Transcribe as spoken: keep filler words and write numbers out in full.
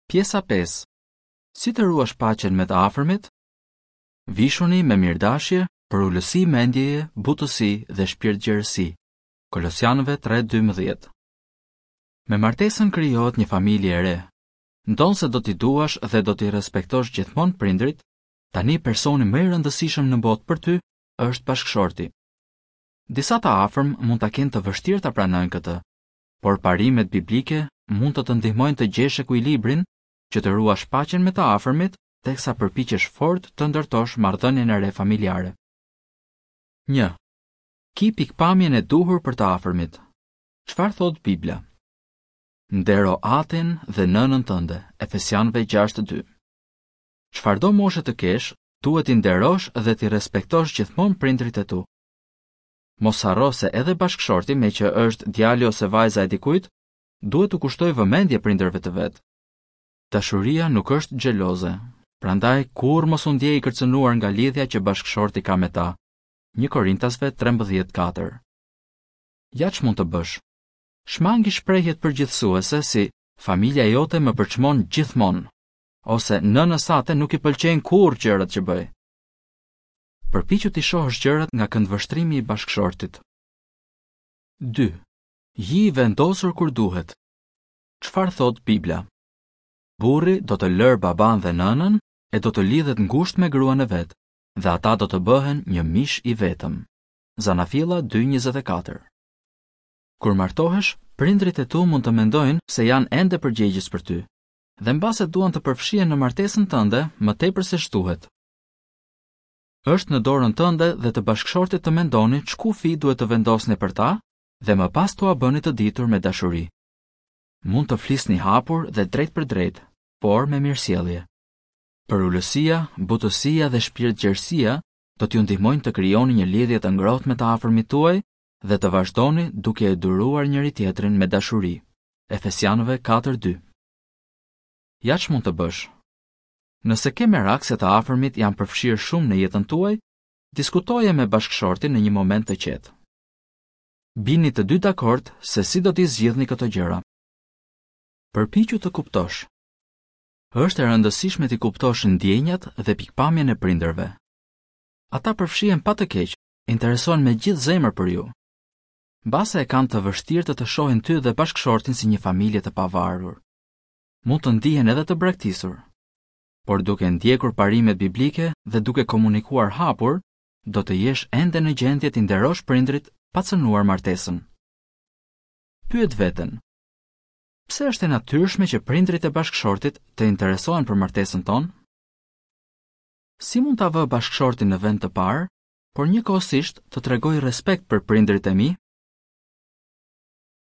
Pjesa pesë. Si të ruash paqen me të afërmit? Vishuni me mirëdashje, përulësi mendjeje, butësi dhe shpirtgjerësi. Kolosianëve tre dymbëdhjetë. Me martesën krijohet një familje e re. Ndonëse do t'i duash dhe do t'i respektosh gjithmonë prindrit, tani personi më i rëndësishëm në botë për ty është bashkëshorti. Disa të afërm mund ta kenë të vështirë ta pranojnë këtë, por parimet biblike mund të të ndihmojnë të gjesh ekuilibrin që të ruash paqen me të afërmit, teksa përpiqesh fort të ndërtosh marrëdhënien e re familjare. Një. Ki pikpamjen e duhur për të afërmit. Çfarë thot Bibla? Ndero atin dhe nënën tënde, Efesianëve gjashtë dy. Çfarëdo moshe të kesh, duhet t'i nderosh dhe t'i respektosh gjithmonë prindrit e tu. Mos harro se edhe bashkëshorti, me që është djali ose vajza e dikujt, duhet t'u kushtojë vëmendje prindërve të vet. Dashuria nuk është xheloze, prandaj kurrë mos u ndjej i kërcënuar nga lidhja që bashkëshorti ka me ta. Një Korintasve trembëdhjetë katër. Ja ç'mund të bësh. Shmangi shprehjet përgjithësuese si familja jote më përçmon gjithmonë, ose nënës sate nuk i pëlqejnë kurrë gjërat që bëj. Përpiqu t'i shohësh gjërat nga këndvështrimi i bashkëshortit. Dy. Ji i vendosur kur duhet. Çfarë thot Bibla? Burri do të lërë baban dhe nënën e do të lidhet ngushtë me gruan e vet, dhe ata do të bëhen një mish i vetëm. Zanafilla dy njëzet e katër. Kur martohesh, prindrit e tu mund të mendojnë se janë ende përgjegjës për ty, dhe mbase duan të përfshihen në martesën tënde më tepër se ç'duhet. Është në dorën tënde dhe të bashkëshortit të mendoni ç'kufi duhet të vendosni për ta dhe më pas t'ua bëni të ditur me dashuri. Mund të flisni hapur dhe drejt për drejt, por me mirësjellje. Përulësia, butësia dhe shpirtgjerësia do t'ju ndihmojnë të krijoni një lidhje të ngrohtë me të afërmit tuaj dhe të vazhdoni duke e duruar njëri tjetrin me dashuri. Efesianëve katër dy. Ja ç'mund të bësh. Nëse ke merak se të afërmit janë përfshirë shumë në jetën tuaj, diskutoje me bashkëshortin në një moment të qetë. Bini të dy dakord se si do t'i zgjidhni këto gjëra. Përpiqu të kuptosh. Është e rëndësishme t'i kuptosh ndjenjat dhe pikpamjen e prindërve. Ata përfshihen pa të keq, interesohen me gjithë zemër për ju. Mbase e kanë të vështirë të të shohin ty dhe bashkëshortin si një familje të pavarur. Mund të ndihen edhe të braktisur. Por duke ndjekur parimet biblike dhe duke komunikuar hapur, do të jesh ende në gjendje t'i nderosh prindrit pa cënuar martesën. Pyet veten. Pse është e natyrshme që prindrit e bashkëshortit të interesohen për martesën tonë? Si mund ta vë bashkëshortin në vend të parë, por njëkohësisht të tregoj respekt për prindrit e mi?